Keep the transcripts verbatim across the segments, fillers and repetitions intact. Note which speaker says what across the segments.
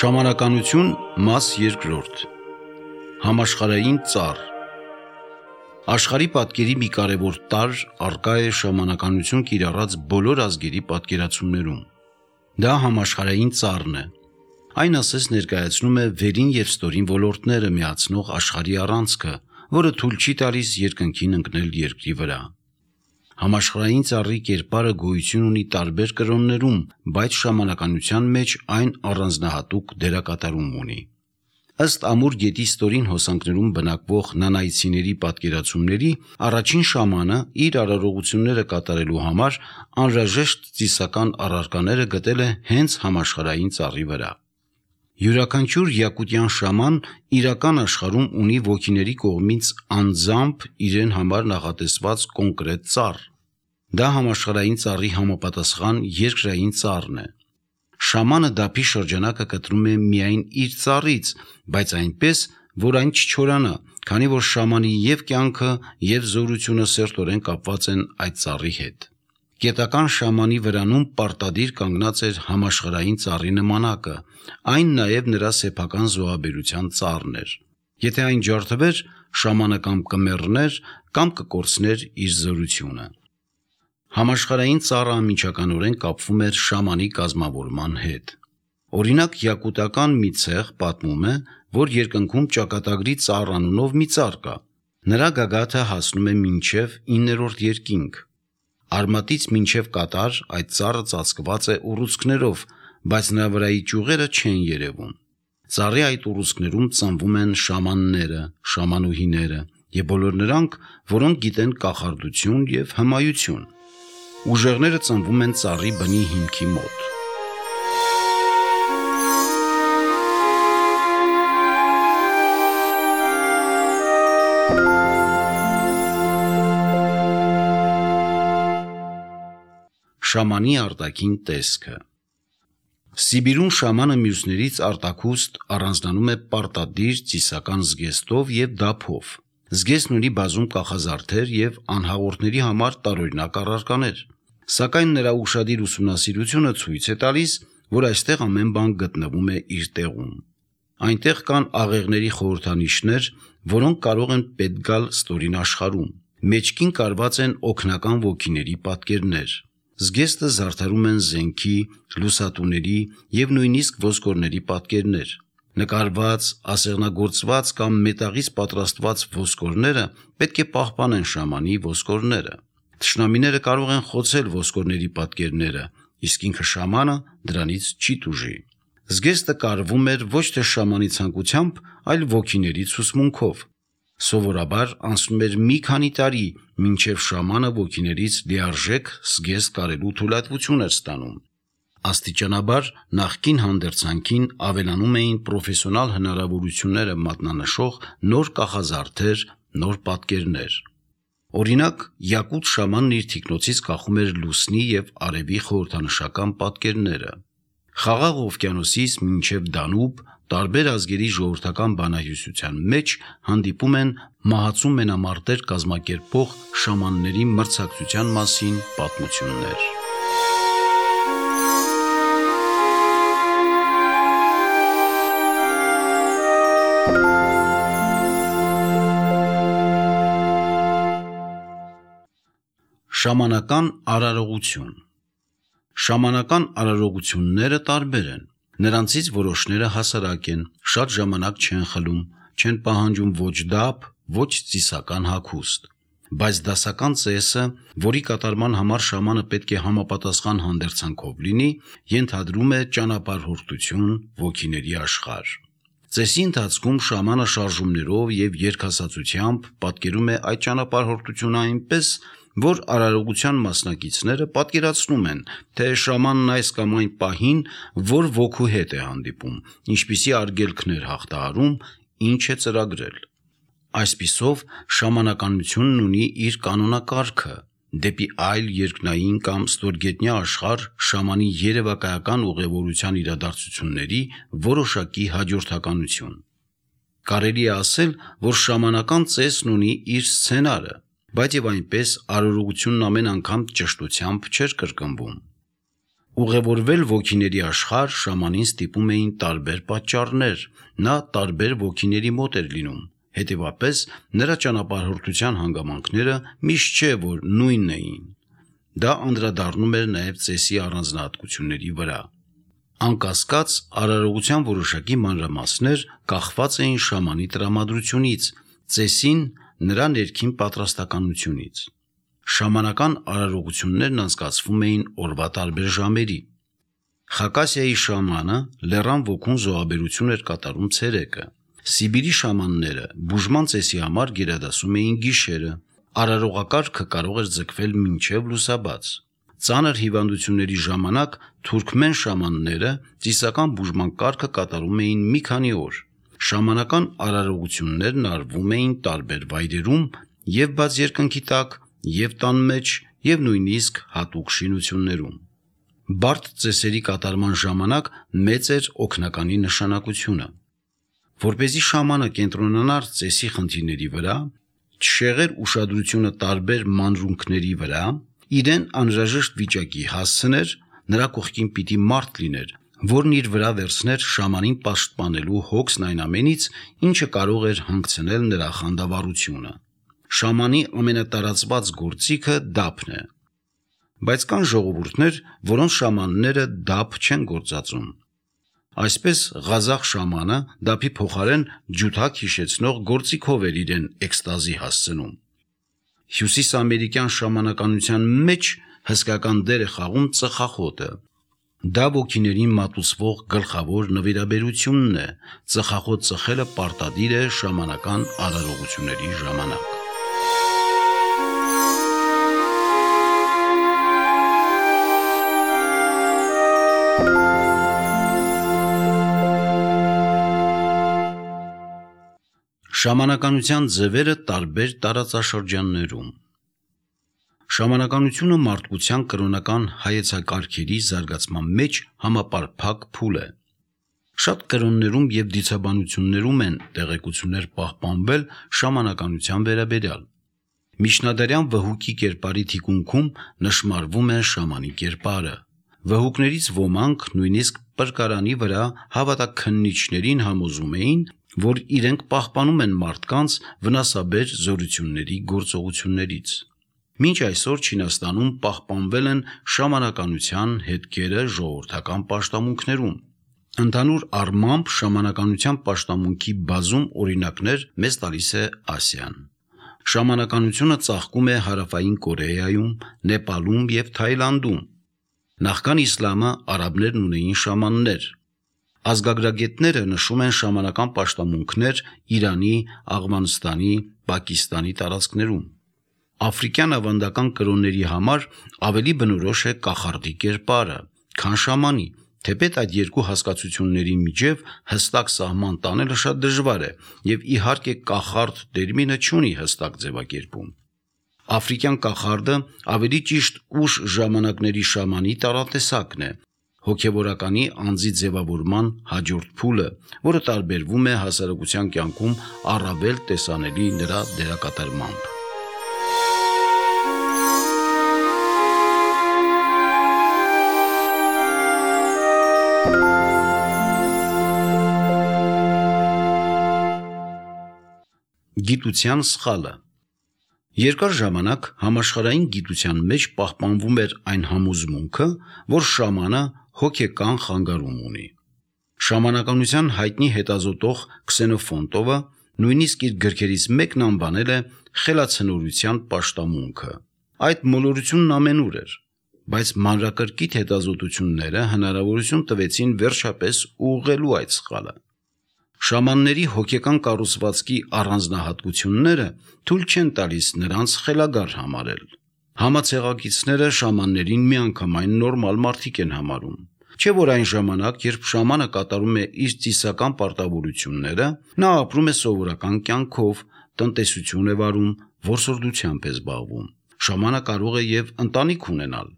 Speaker 1: Շամանականություն մաս երկրորդ Համաշխարհային ծառ Աշխարհի պատկերի մի կարևոր տարր առկա է շամանականություն կիրառած բոլոր ազգերի պատկերացումներում։ Դա համաշխարհային ծառն է։ Այն ասես ներկայացնում է վերին և ստորին ոլորտները միացնող աշխարհի առանցքը, որը թույլ չի տալիս երկնքին ընկնել երկրի վրա։ Համաշխարհային ծառի կերպարը գոյություն ունի տարբեր կրոններում, բայց շամանականության մեջ այն առանձնահատուկ դերակատարում ունի։ Ըստ Ամուր գետի ստորին հոսանքներում բնակվող նանայցիների պատկերացումների, առաջին շամանը իր արարողությունները կատարելու համար անհրաժեշտ ծիսական առարկաները գտել է հենց համաշխարհային ծառի վրա։ Յուրաքանչյուր յակուտյան շաման իրական աշխարհում ունի ոգիների կողմից անձամբ իրեն համար նախատեսված կոնկրետ ծառ։ Դա համաշխարհային ծառի համապատասխան երկրային ծառն է։ Շամանը դափի շրջանակը կտրում է միայն իր ծառից, բայց այնպես, որ այն չչորանա, քանի որ շամանի և կյանքը, և զորությունը սերտորեն կապված են այդ ծառի հետ։ Գետական շամանի վրանում պարտադիր կանգնած էր համաշխարհային ծառի նմանակը, այն նաև նրա սեփական զոհաբերության ծառն էր։ Եթե այն ջարդվեր, շամանը կամ կմեռներ, կամ կկորցներ իր զորությունը։ Համաշխարհային ծառը անմիջականորեն կապվում էր շամանի կազմավորման հետ։ Օրինակ, յակուտական մի ցեղ պատմում է, որ երկնքում ճակատագրի ծառ անունով մի ծառ կա։ Նրա գագաթը հասնում է մինչև իններորդ երկինք։ Արմատից մինչև կատար այդ ծառը ծածկված է ուռուցքներով, բայց նրա վրայի ճյուղերը չեն երևում։ Ծառի այդ ուռուցքներում ծնվում են շամանները, շամանուհիները և բոլոր նրանք, որոնք գիտեն կախարդություն և հմայություն։ Ուժեղները ծնվում են ծառի բնի հիմքի մոտ։ Շամանի արտաքին տեսքը Սիբիրում շամանը մյուսներից արտաքուստ առանձնանում է պարտադիր ծիսական զգեստով և դափով։ Զգեստն ունի բազում կախազարդեր և անհաղորդների համար տարօրինակ առարկաներ։ Սակայն նրա ուշադիր ուսումնասիրությունը ցույց է տալիս, որ այստեղ ամեն բան գտնվում է իր տեղում։ Այնտեղ կան աղեղների խորհրդանիշներ, որոնք կարող են պետք գալ ստորին աշխարհում։ Մեջքին կարված են օգնական ոգիների պատկերներ։ Զգեստը զարդարում են զենքի, լուսատուների և նույնիսկ ոսկորների պատկերներ։ Նկարված, ասեղնագործված կամ մետաղից պատրաստված ոսկորները պետք է պահպանեն շամանի ոսկորները։ Թշնամիները կարող են խոցել ոսկորների պատկերները, իսկ ինքը շամանը դրանից չի տուժի։ Զգեստը կարվում էր ոչ թե շամանի ցանկությամբ, այլ ոգիների ցուցմունքով։ Սովորաբար անցնում էր մի քանի տարի, մինչև շամանը ոգիներից լիարժեք զգեստ կարելու թույլատվություն էր ստանում։ Աստիճանաբար նախկին հանդերձանքին ավելանում էին պրոֆեսիոնալ հնարավորությունները մատնանշող նոր կախազարդեր, նոր պատկերներ։ Օրինակ, յակուտ շամանն իր թիկնոցից կախում էր լուսնի և արևի խորհրդանշական պատկերները։ Խաղաղ օվկիանոսից մինչև Դանուբ տարբեր ազգերի ժողովրդական բանահյուսության մեջ հանդիպում են մահացու մենամարտեր կազմակերպող շամանների մրցակցության մասին պատմություններ։ Շամանական արարողություն Շամանական արարողությունները տարբեր են։ Նրանցից որոշները հասարակ են, շատ ժամանակ չեն խլում, չեն պահանջում ոչ դափ, ոչ ծիսական հագուստ։ Բայց դասական ծեսը, որի կատարման համար շամանը պետք է համապատասխան հանդերձանքով լինի, ենթադրում է ճանապարհորդություն ոգիների աշխարհ։ Ծեսի ընթացքում շամանը շարժումներով և երգասացությամբ պատկերում է այդ ճանապարհորդությունը այնպես, որ արարողության մասնակիցները պատկերացնում են, թե շամանն այս կամ այն պահին որ ոգու հետ է հանդիպում, ինչպիսի արգելքներ հաղթահարում, ինչ է ծրագրել։ Այսպիսով, շամանականությունն ունի իր կանոնակարգը։ Դեպի այլ երկնային կամ ստորգետնյա աշխարհ շամանի երևակայական ուղևորության իրադարձությունների որոշակի հաջորդականություն։ Կարելի է ասել, որ շամանական ծեսն ունի իր սցենարը, բայց և այնպես արարողությունն ամեն անգամ ճշտությամբ չէր կրկնվում։ Ուղևորվել ոգիների աշխարհ շամանին ստիպում էին տարբեր պատճառներ, նա տարբեր ոգիների մոտ էր լինում, հետևապես նրա ճանապարհորդության հանգամանքները միշտ չէ, որ նույնն էին։ Դա անդրադառնում էր նաև ծեսի առանձնահատկությունների վրա։ Անկասկած, արարողության որոշակի մանրամասներ կախված էին շամանի տրամադրությունից, ծեսին նրա ներքին պատրաստականությունից։ Շամանական արարողություններն անցկացվում էին օրվա տարբեր ժամերի։ Խակասիայի շամանը լեռան ոգուն զոհաբերություն էր կատարում ցերեկը։ Սիբիրի շամանները բուժման ծեսի համար գերադասում էին գիշերը։ Արարողակարգը կարող էր ձգվել մինչև լուսաբաց։ Ծանր հիվանդությունների ժամանակ թուրքմեն շամանները ծիսական բուժման կարգը կատարում էին մի քանի օր։ Շամանական արարողություններն արվում էին տարբեր վայրերում, և բաց երկնքի տակ, և տան մեջ, և նույնիսկ հատուկ շինություններում։ Բարդ ծեսերի կատարման ժամանակ մեծ էր օգնականի նշանակությունը։ Որպեսզի շամանը կենտրոնանար ծեսի խնդիրների վրա, չշեղեր ուշադրությունը տարբեր մանրունքների վրա, իրեն անհրաժեշտ վիճակի հասցներ, նրա կողքին պիտի մարդ լիներ, որն իր վրա վերցներ շամանին պաշտպանելու հոգսն այն ամենից, ինչը կարող էր հանգցնել նրա խանդավառությունը։ Շամանի ամենատարածված գործիքը դափն է։ Բայց կան ժողովուրդներ, որոնց շամանները դափ չեն գործածում։ Այսպես ղազախ շամանը դափի փոխարեն ջութակ հիշեցնող գործիքով էր իրեն էքստազի հասցնում։ Հյուսիսամերիկյան շամանականության մեջ հսկական դեր է խաղում ծխախոտը։ Դա ոգիներին մատուցվող գլխավոր նվիրաբերությունն է։ Ծխախոտ ծխելը պարտադիր է շամանական արարողությունների ժամանակ։ Շամանականության ձևերը տարբեր տարածաշրջաններում։ Շամանականությունը մարդկության կրոնական հայեցակարգերի զարգացման մեջ համապարփակ փուլ է։ Շատ կրոններում և դիցաբանություններում են տեղեկություններ պահպանվել շամանականության վերաբերյալ։ Միջնադարյան վհուկի կերպարի թիկունքում նշմարվում է շամանի կերպարը։ Վհուկներից ոմանք նույնիսկ պրկարանի վրա հավատաքննիչներին համոզում էին, որ իրենք պահպանում են մարդկանց վնասաբեր զորությունների գործողություններից։ Մինչ այսօր Չինաստանում պահպանվել են շամանականության հետքերը ժողովրդական պաշտամունքներում։ Ընդհանուր առմամբ շամանականության պաշտամունքի բազում օրինակներ մեզ տալիս է Ասիան։ Շամանականությունը ծաղկում է Հարավային Կորեայում, Նեպալում և Թայլանդում։ Նախքան իսլամը արաբներն ունեին շամաններ։ Ազգագրագետները նշում են շամանական պաշտամունքներ Իրանի, Աֆղանստանի, Պակիստանի տարածքներում։ Աֆրիկյան ավանդական կրոնների համար ավելի բնորոշ է կախարդի կերպարը, քան շամանի, թեպետ այդ երկու հասկացությունների միջև հստակ սահման տանելը շատ դժվար է, և իհարկե կախարդ տերմինը չունի հստակ ձևակերպում։ Աֆրիկյան կախարդը ավելի ճիշտ ուշ ժամանակների շամանի տարատեսակն է, հոգևորականի անձի ձևավորման հաջորդ փուլը, որը տարբերվում է հասարակության կյանքում առավել տեսանելի նրա դերակատարմամբ։ Գիտության սխալը։ Երկար ժամանակ համաշխարհային գիտության մեջ պահպանվում էր այն համոզմունքը, որ շամանը հոգեկան խանգարում ունի։ Շամանականության հայտնի հետազոտող Քսենոֆոնտովը նույնիսկ իր գրքերից մեկն անվանել է խելացնորության պաշտամունքը։ Այդ մոլորությունն ամենուր էր, բայց մանրակրկիտ հետազոտությունները հնարավորություն տվեցին վերջապես ուղղելու այդ սխալը։ Շամանների հոգեկան կառուցվածքի առանձնահատկությունները թույլ չեն տալիս նրանց խելագար համարել։ Համացեղակիցները շամաններին միանգամայն նորմալ մարդիկ են համարում։ Չէ՞ որ այն ժամանակ, երբ շամանը կատարում է իր ծիսական պարտավորությունները, նա ապրում է սովորական կյանքով, տնտեսություն է վարում, որսորդությամբ է զբաղվում։ Շամանը կարող է և ընտանիք ունենալ։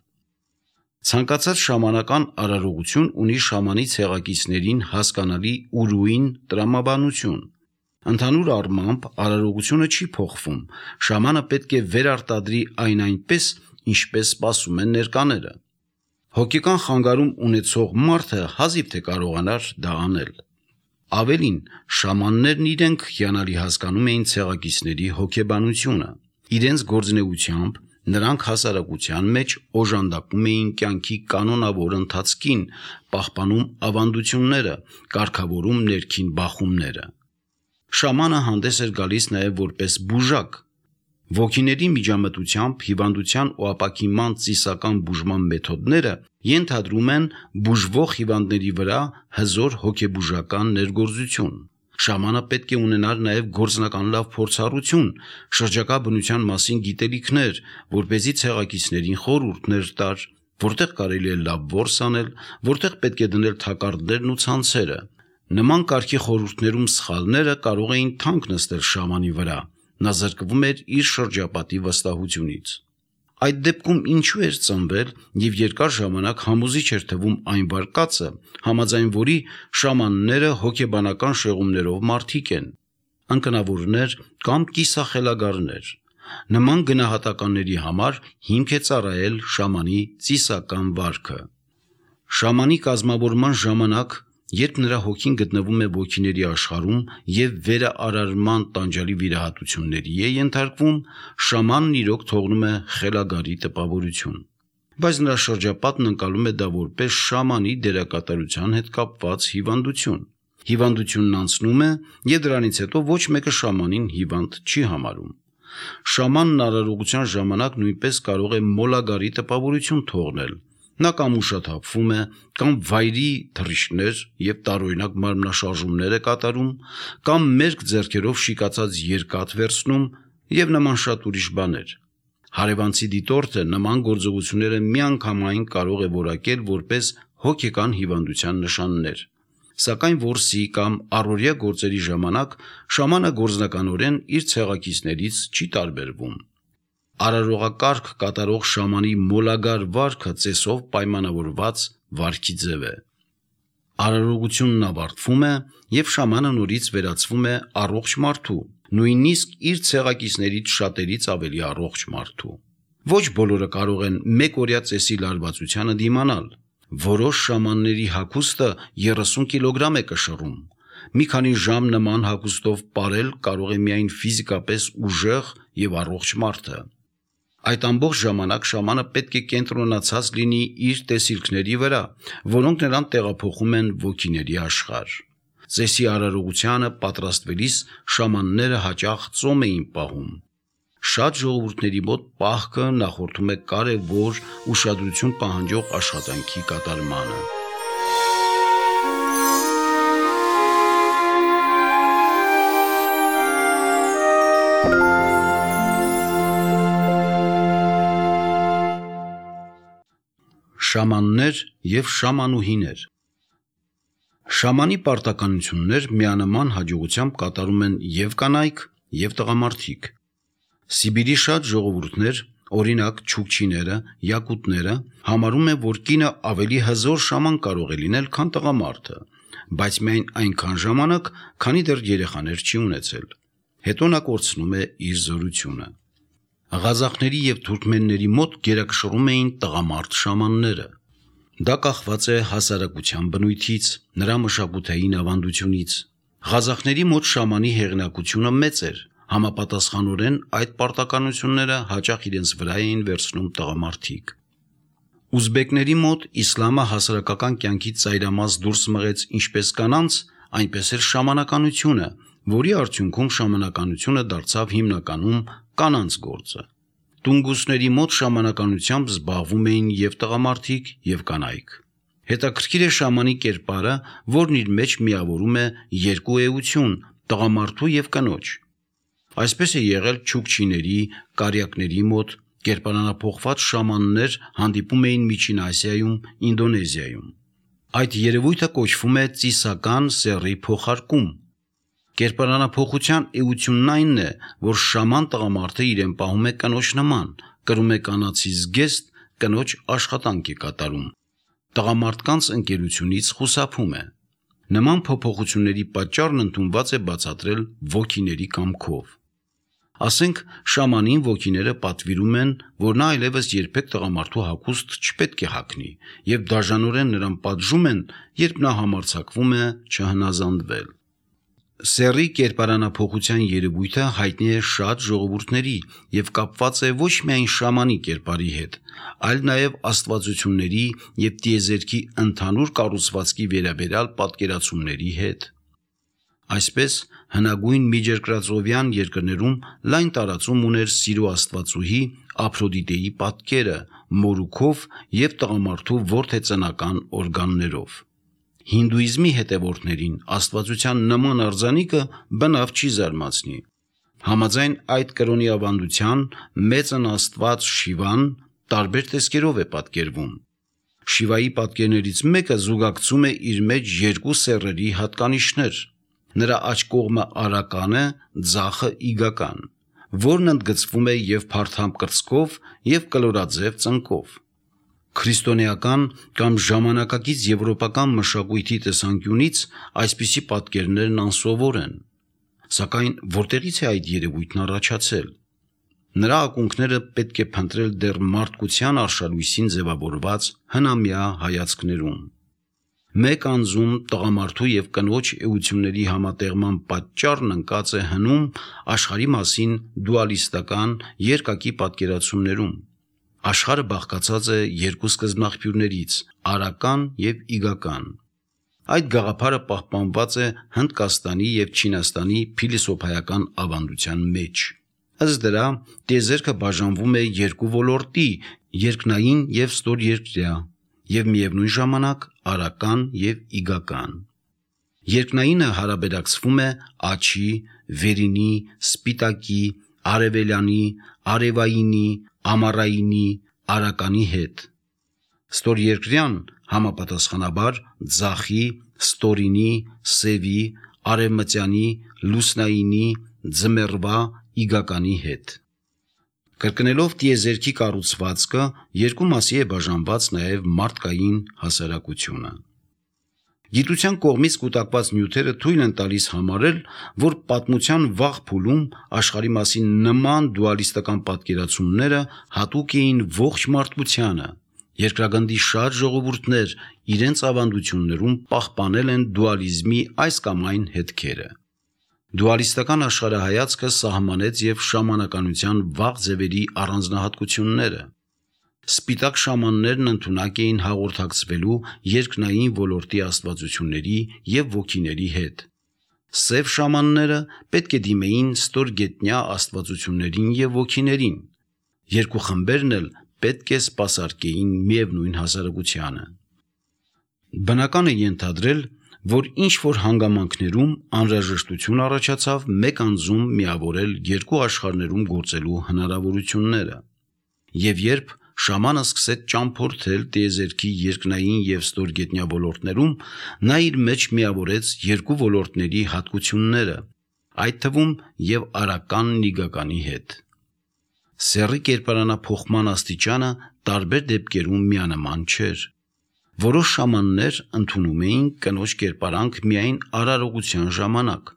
Speaker 1: Ցանկացած շամանական արարողություն ունի շամանի ցեղակիցներին հասկանալի ուրույն տրամաբանություն։ Ընդհանուր առմամբ արարողությունը չի փոխվում, շամանը պետք է վերարտադրի այն այնպես, ինչպես սպասում են ներկաները։ Հոգեկան խանգարում ունեցող մարդը հազիվ թե կարողանար դա անել։ Ավելին, շամաններն իրենք հիանալի հասկանում էին ցեղակիցների հոգեբանությունը։ Իրենց գործունեությամբ նրանք հասարակության մեջ օժանդակում էին կյանքի կանոնավոր ընթացքին, պահպանում ավանդությունները, կարգավորում ներքին բախումները։ Շամանը հանդես էր գալիս նաև որպես բուժակ։ Ոգիների միջամտությամբ հիվանդության ու ապակինման ծիսական բուժման մեթոդները ենթադրում են բուժվող հիվանդների վրա հզոր հոգեբուժական ներգործություն։ Շամանը պետք է ունենար նաև գործնական լավ փորձառություն, շրջակա բնության մասին գիտելիքներ, որպեսզի ցեղակիցներին խորհուրդներ տար, որտեղ կարելի է լավ որս անել, որտեղ պետք է դնել թակարդներն ու ցանցերը։ Նման կարգի խորհուրդներում սխալները կարող էին թանկ նստել շամանի վրա։ Նա զրկվում էր իր շրջապատի վստահությունից։ Այդ դեպքում ինչու էր ծնվել եւ երկար ժամանակ համոզիչ էր թվում այն վարկածը, համաձայն որի շամանները հոգեբանական շեղումներով մարդիկ են, անկնավորներ կամ կիսախելագարներ։ Նման գնահատականների համար հիմք է ծառայել շամանի ծիսական վարքը։ Շամանի կազմավորման ժամանակ, երբ նրա հոգին գտնվում է ոգիների աշխարհում եւ վերաարարման տանջալի վիրահատությունների է ենթարկվում, շամանն իրոք թողնում է խելագարի տպավորություն։ Բայց նրա շրջապատն ընկալում է դա որպես շամանի դերակատարության հետ կապված հիվանդություն։ Հիվանդությունն անցնում է եւ դրանից հետո ոչ մեկը շամանին հիվանդ չի համարում։ Շամանն արարողության ժամանակ նույնպես կարող է մոլագարի տպավորություն թողնել։ Նա կամ ուշաթափվում է, կամ վայրի թռիչքներ եւ տարօրինակ մարմնաշարժումներ է կատարում, կամ մերկ ձեռքերով շիկացած երկաթ վերցնում եւ նման շատ ուրիշ բաներ։ Հարևանցի դիտորդը նման գործողությունները միանգամայն կարող է որակել որպես հոգեկան հիվանդության նշաններ։ Սակայն որսի կամ առօրյա գործերի ժամանակ շամանը գործնականորեն իր ցեղակիցներից չի տարբերվում։ Արարողակարգ կատարող շամանի մոլագար վարքը ծեսով պայմանավորված վարքի ձև է։ Արարողությունն ավարտվում է եւ շամանը նորից վերածվում է առողջ մարդու, նույնիսկ իր ցեղակիցներից շատերից ավելի առողջ մարդու։ Ոչ բոլորը կարող են մեկօրյա ծեսի լարվածությանը դիմանալ։ Որոշ շամանների հագուստը երեսուն կիլոգրամ է կշռում։ Մի քանի ժամ նման հագուստով պարել կարող է միայն ֆիզիկապես ուժեղ եւ առողջ մարդը։ Այդ ամբողջ ժամանակ շամանը պետք է կենտրոնացած լինի իր տեսիլքների վրա, որոնք նրան տեղափոխում են ոգիների աշխարհ։ Ծեսի արարողությանը պատրաստվելիս շամանները հաճախ ծոմ էին պահում։ Շատ ժողովուրդների մոտ պահքը նախորդում է կարևոր ուշադրություն պահանջող աշխատանքի կատարմանը։ Շամաններ եւ շամանուհիներ։ Շամանի պարտականություններ միանման հաջողությամբ կատարում են եւ կանայք, եւ տղամարդիկ։ Սիբիրի շատ ժողովուրդներ, օրինակ չուկչիները, յակուտները, համարում են, որ կինը ավելի հզոր շաման կարող է լինել, քան տղամարդը, բայց միայն այնքան ժամանակ, քանի դեռ երեխաներ չի ունեցել։ Հետո նա կորցնում է իր զորությունը։ Ղազախների եւ թուրքմենների մոտ գերակշռում էին տղամարդ շամանները։ Դա կախված է հասարակության բնույթից, նրա մշակութային ավանդությունից։ Ղազախների մոտ շամանի հեղինակությունը մեծ էր, համապատասխանորեն այդ պարտականությունները հաճախ իրենց վրա էին վերցնում տղամարդիկ։ Ուզբեկների մոտ իսլամը հասարակական կյանքից ծայրամաս դուրս մղեց ինչպես կանանց, այնպես էլ շամանականությունը, որի արդյունքում շամանականությունը դարձավ հիմնականում կանանց գործը։ Տունգուսների մոտ շամանականությամբ զբաղվում էին եւ տղամարդիկ, եւ կանայք։ Հետաքրքիր է շամանի կերպարը, որն իր մեջ միավորում է երկու էություն՝ տղամարդու եւ կնոջ։ Այսպես է եղել չուկչիների, կարյակների մոտ, կերպարանափոխված շամաններ հանդիպում էին Միջին Ասիայում, Ինդոնեզիայում։ Այդ երևույթը կոչվում է ծիսական սեռի փոխարկում։ Կերպարանափոխության էությունն այնն է, որ շաման տղամարդը իրեն պահում է կնոջ նման, կրում է կանացի զգեստ, կնոջ աշխատանք է կատարում։ Տղամարդկանց ընկերությունից խուսափում է։ Նման փոփոխությունների պատճառն ընդունված է բացատրել ոգիների կամքով։ Ասենք շամանին ոգիները պատվիրում են, որ նա այլևս երբեք տղամարդու հագուստ չպետք է հագնի, եւ դաժանորեն նրան պատժում են, երբ նա համարձակվում է չհնազանդվել։ Սեռի կերպարանափոխության երևույթը հայտնի է շատ ժողովուրդների եւ կապված է ոչ միայն շամանի կերպարի հետ, այլ նաեւ աստվածությունների եւ տիեզերքի ընդհանուր կառուցվածքի վերաբերյալ պատկերացումների հետ։ Այսպես հնագույն միջերկրածովյան երկրներում լայն տարածում ուներ սիրո աստվածուհի Ափրոդիտեի պատկերը մորուքով եւ տղամարդու որդեծնական օրգաններով։ Հինդուիզմի հետևորդներին աստվածության նման արձանիկը բնավ չի զարմացնի։ Համաձայն այդ կրոնի ավանդության մեծն աստված Շիվան տարբեր տեսքերով է պատկերվում։ Շիվայի պատկերներից մեկը զուգակցում է իր մեջ երկու սեռերի հատկանիշներ։ Նրա աջ կողմը արական է, ձախը իգական, որն ընդգծվում է եւ փարթամ կրծքով եւ կլորաձև ծնկով։ Քրիստոնեական կամ ժամանակակից եվրոպական մշակույթի տեսանկյունից այսպիսի պատկերներն անսովոր են, սակայն որտեղից է այդ երևույթն առաջացել։ Նրա ակունքները պետք է փնտրել դեռ մարդկության արշալույսին ձևավորված հնամյա հայացքներում։ Մեկ անձում տղամարդու եւ կնոջ էությունների համատեղման պատճառն ընկած է հնում աշխարհի մասին դուալիստական երկակի պատկերացումներում։ Աշխարհը բաղկացած է երկու սկզբնաղբյուրներից՝ արական եւ իգական։ Այդ գաղափարը պահպանված է Հնդկաստանի եւ Չինաստանի փիլիսոփայական ավանդության մեջ։ Ըստ դրա, տիեզերքը բաժանվում է երկու ոլորտի՝ երկնային եւ ստորերկրյա, եւ միևնույն ժամանակ արական եւ իգական։ Երկնայինը հարաբերակցվում է աջի, վերինի, սպիտակի, արևելյանի, արևայինի, ամառայինի, արականի հետ։ Ստորերկրյան համապատասխանաբար ձախի, ստորինի, սևի, արևմտյանի, լուսնայինի, ձմեռվա, իգականի հետ։ Կրկնելով տիեզերքի կառուցվածքը, երկու մասի է բաժանված նաև մարդկային հասարակությունը։ Գիտության կողմից կուտակված նյութերը թույլ են տալիս համարել, որ պատմության վաղ փուլում աշխարհի մասին նման դուալիստական պատկերացումները հատուկ էին ողջ մարդկությանը։ Երկրագնդի շատ ժողովուրդներ իրենց ավանդություններում պահպանել են դուալիզմի այս կամ այն հետքերը։ Դուալիստական աշխարհայացքը սահմանեց եւ շամանականության վաղ ձևերի առանձնահատկությունները։ Սպիտակ շամաններն ընդունակ էին հաղորդակցվելու երկնային ոլորտի աստվածությունների եւ ոգիների հետ։ Սև շամանները պետք է դիմեին ստորգետնյա աստվածություններին եւ ոգիներին։ Երկու խմբերն էլ պետք է սպասարկեին միևնույն հասարակությանը։ Բնական է ենթադրել, որ ինչ-որ հանգամանքներում անհրաժեշտություն առաջացավ մեկ անձում միավորել երկու աշխարհներում գործելու հնարավորությունները։ Եվ երբ շամանը սկսեց ճամփորդել տիեզերքի երկնային եւ ստորգետնյա ոլորտներում, նա իր մեջ միավորեց երկու ոլորտների հատկությունները, այդ թվում եւ արականն իգականի հետ։ Սեռի կերպարանափոխման աստիճանը տարբեր դեպքերում միանման չէր։ Որոշ շամաններ ընդունում էին կնոջ կերպարանք միայն արարողության ժամանակ։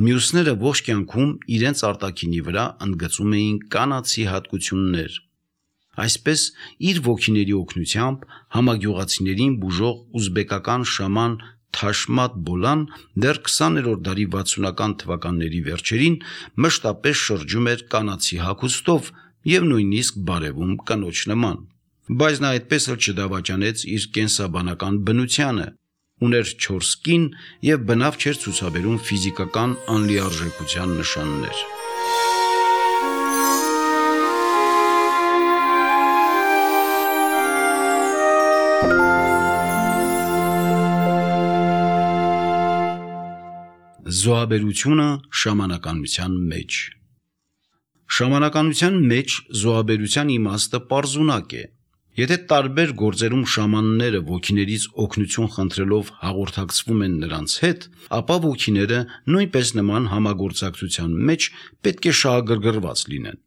Speaker 1: Մյուսները ողջ կյանքում իրենց արտաքինի վրա ընդգծում էին կանացի հատկություններ։ Այսպես իր ոգիների օգնությամբ համագյուղացիներին բուժող ուզբեկական շաման Թաշմատ Բոլան դեռ քսաներորդ դարի վաթսունական թվականների վերջերին մշտապես շրջում էր կանացի հագուստով եւ նույնիսկ բարևում կնոջ նման։ Բայց նա այդպես էլ չդավաճանեց իր կենսաբանական բնությանը, ուներ չորս կին եւ բնավ չէր ցուցաբերում ֆիզիկական անլիարժեքության նշաններ։ Զոհաբերությունը շամանականության մեջ։ Շամանականության մեջ զոհաբերության իմաստը պարզունակ է։ Եթե տարբեր գործերում շամանները ոգիներից օգնություն խնդրելով հաղորդակցվում են նրանց հետ, ապա ոգիները նույնպես նման համագործակցության մեջ պետք է շահագրգռված լինեն։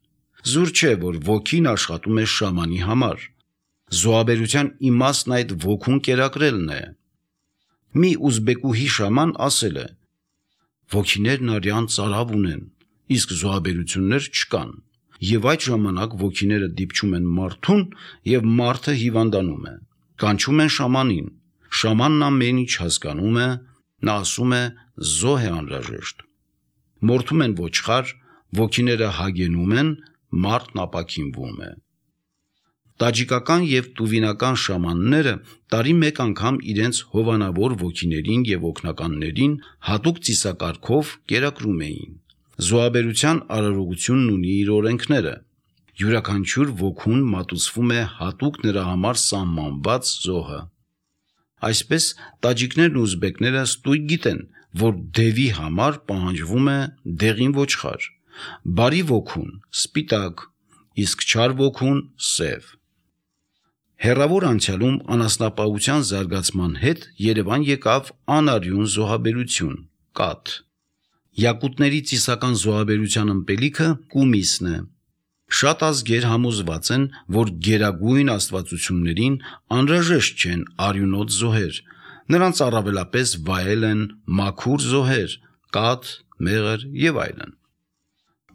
Speaker 1: Զուր չէ, որ ոգին աշխատում է շամանի համար։ Զոհաբերության իմաստն այդ ոգուն կերակրելն է։ Մի ուզբեկուհի շաման ասել է. «Ոգիներն արյան ծարավ ունեն, իսկ զոհաբերություններ չկան, եւ այդ ժամանակ ոգիները դիպչում են մարդուն եւ մարդը հիվանդանում է, կանչում են շամանին, շամանն ամեն ինչ հասկանում է, նա ասում է զոհ է անհրաժեշտ, մորթում են ոչխար, ոգիները հագենում են, մարդն ապաքինվում է։ Տաջիկական եւ տուվինական շամանները տարի մեկ անգամ իրենց հովանավոր ոգիներին եւ օգնականներին հատուկ ծիսակարգով կերակրում էին։ Զոհաբերության արարողությունն ունի իր օրենքները։ Յուրաքանչյուր ոգուն մատուցվում է հատուկ նրա համար սահմանված զոհը։ Այսպես տաջիկներն ու ուզբեկները ստույգ գիտեն, որ դևի համար պահանջվում է դեղին ոչխար, բարի ոգուն սպիտակ, իսկ չար ոգուն սև։ Հեռավոր անցյալում անասնապահության զարգացման հետ Երևան եկավ անարյուն զոհաբերություն, կաթ։ Յակուտների ծիսական զոհաբերության ըմպելիքը կումիսն է։ Շատ ազգեր համոզված են, որ գերագույն աստվածություններին անհրաժեշտ չեն արյունոտ զոհեր, նրանց առավելապես վայել են մաքուր զոհեր, կաթ, մեղր եւ այլն։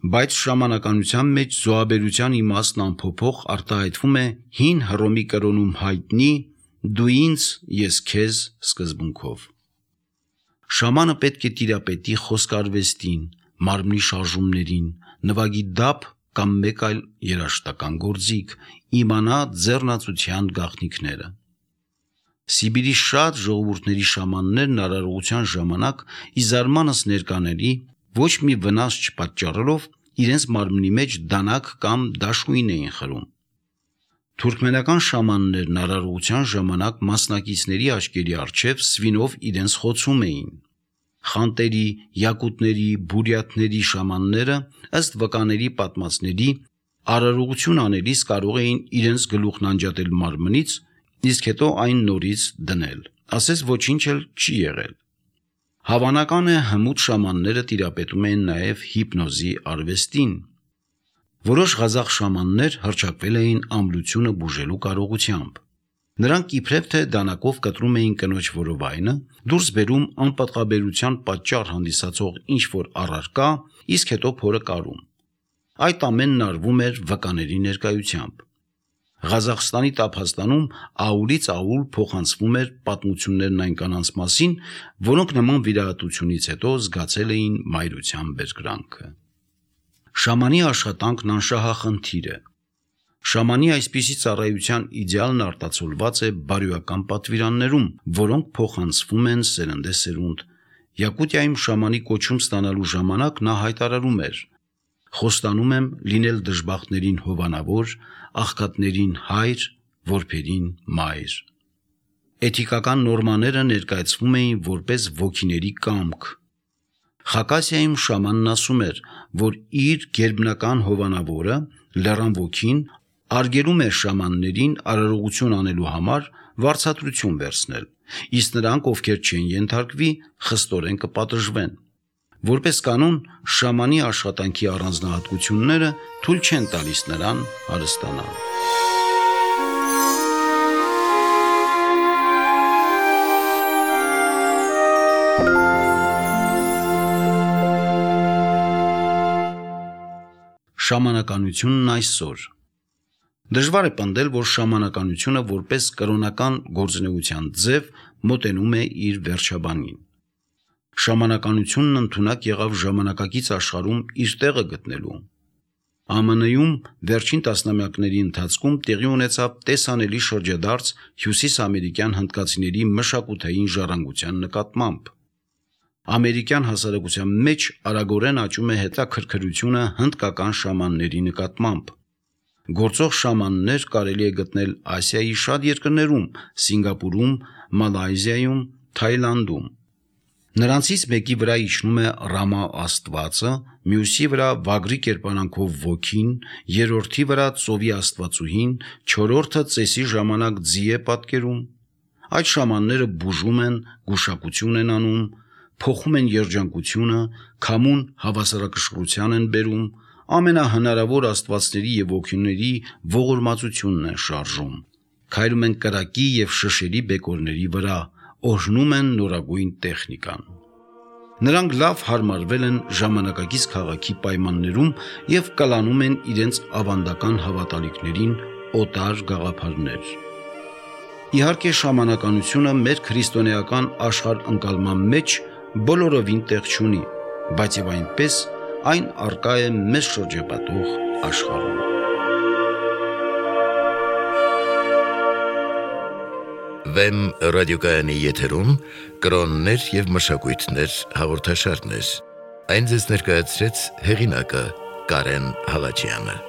Speaker 1: Բայց շամանականության մեջ զոհաբերության իմաստն ամփոփող արտահայտվում է հին Հռոմի կրոնում հայտնի «դու ինձ, ես քեզ» սկզբունքով։ Շամանը պետք է տիրապետի խոսքարվեստին, մարմնի շարժումներին, նվագի դափ կամ մեկ այլ երաժշտական գործիք, իմանա ձեռնացության գաղտնիքները։ Սիբիրի շատ ժողովուրդների շամաններն արարողության ժամանակ ի զարմանս ներկաների ոչ մի վնաս չպատճառելով իրենց մարմնի մեջ դանակ կամ դաշույն էին խրում։ Թուրքմենական շամաններն արարողության ժամանակ մասնակիցների աչքերի առջև սվինով իրենց խոցում էին։ Խանտերի, յակուտների, բուրյաթների շամանները ըստ վկաների պատմածների արարողություն անելիս կարող էին իրենց գլուխն անջատել մարմնից, իսկ հետո այն նորից դնել, ասես ոչինչ էլ չի եղել։ Հավանական է հմուտ շամանները տիրապետում էին նաև հիպնոզի արվեստին։ Որոշ ղազախ շամաններ հռչակվել էին ամրությունը բուժելու կարողությամբ։ Նրանք իբրև թե դանակով կտրում էին կնոջ որովայնը, դուրս բերում անպատղաբերության պատճառ հանդիսացող ինչ-որ առարկա, իսկ հետո փորը կարում։ Այդ ամենն արվում էր վկաների ներկայությամբ։ Ղազախստանի Տափաստանում աուլից աուլ փոխանցվում էր պատմություններն այն կանանց մասին, որոնք նման վիրահատությունից հետո զգացել էին մայրության բերկրանքը։ Շամանի աշխատանքն անշահախնդիր է։ Շամանի այսպիսի ծառայության իդեալն արտացոլված է բարոյական պատվիրաններում, որոնք փոխանցվում են սերնդեսերունդ։ Յակուտիայում շամանի կոչում ստանալու ժամանակ նա հայտարարում էր. «Խոստանում եմ լինել դժբախտներին հովանավոր, աղքատներին հայր, որբերին մայր»։ Էթիկական նորմաները ներկայացվում էին որպես ոգիների կամք։ Խակասիայում շամանն ասում էր, որ իր գերբնական հովանավորը, լեռան ոգին, արգելում էր շամաններին արարողություն անելու համար վարձատրություն վերցնել, իսկ նրանք, ովքեր չեն ենթարկվի, խստորեն կպատժվեն։ Որպես կանոն, շամանի աշխատանքի առանձնահատկությունները թույլ չեն տալիս նրան հարստանալ։ Շամանականությունն այսօր։ Դժվար է պնդել, որ շամանականությունը որպես կրոնական գործունեության ձև մոտենում է իր վերջաբանին։ Շամանականությունն ընդունակ եղավ ժամանակակից աշխարհում իր տեղը գտնելու։ Է Մ Ն-ում վերջին տասնամյակների ընթացքում տեղի ունեցավ տեսանելի շրջադարձ հյուսիսամերիկյան հնդկացիների մշակութային ժառանգության նկատմամբ։ Ամերիկյան հասարակության մեջ արագորեն աճում է հետաքրքրությունը հնդկական շամանների նկատմամբ։ Գործող շամաններ կարելի է գտնել Ասիայի շատ երկրներում՝ Սինգապուրում, Մալայզիայում, Թայլանդում։ Նրանցից մեկի վրա իջնում է Ռամա աստվածը, մյուսի վրա վագրի կերպարանքով ոգին, երրորդի վրա ծովի աստվածուհին, չորրորդը ծեսի ժամանակ ձի է պատկերում։ Այդ շամանները բուժում են, գուշակություն են անում, փոխում են երջանկությունը, քամուն հավասարակշռության են բերում, ամենահնարավոր աստվածների եւ ոգիների ողորմածությունն են շարժում, քայլում են կրակի եւ շշերի բեկորների վրա, օրհնում են նորագույն տեխնիկան։ Նրանք լավ հարմարվել են ժամանակակից քաղաքի պայմաններում և կլանում են իրենց ավանդական հավատալիքներին օտար գաղափարներ։ Իհարկե, շամանականությունը մեր քրիստոնեական աշխարհընկալման մեջ բոլորովին տեղ չունի, բայց եւ այնպես այն առկա է մեզ շրջապատող աշխարհում։
Speaker 2: Վեմ ռադիոկայանի եթերում կրոններ և մշակույթներ հաղորդաշարներ։ Այն ձեզ ներկայացրեց հեղինակը Կարեն Հալաջյանը։